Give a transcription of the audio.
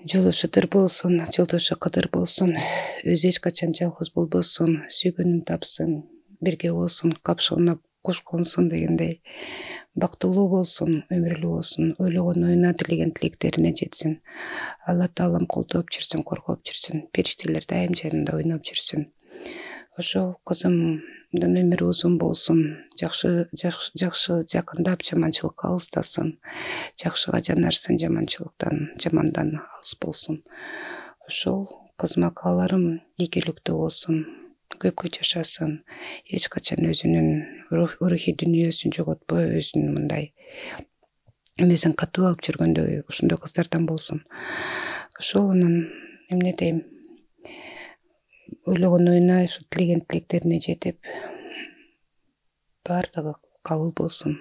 жолу шыдыр болсун, жолдошу кыдыр болсун, өзү эч качан жалгыз болбосун, сүйгөнүн тапсын, бирге болсун, капшыгына кошконсун дегендей. Бактылуу болсун, өмүрлүү болсун, ойлогон оюна, тилеген тилектерине жетсин. Алла таалам колдоп жүрсүн, коргоп жүрсүн, периштелер дайым жанында ойноп жүрсүн. Ошол кызымдын өмүрү узун болсун, жакшы жакындап, жаманчылыкка алыстасын, жакшыга жанашсын, жамандан алыс болсун. Ошол кызыма кааларым ийгиликтүү болсун, көпкө жашасын, эч качан өзүнүн рухий дүйнөсүн жоготпой, өзүнүн мындай эмесин катуу алып жүргөндөй ошондой кыздардан болсун. Ошол анан эмне дейм, ойлогон оюна, тилеген тилектерине жетип, баардыгы кабыл болсун.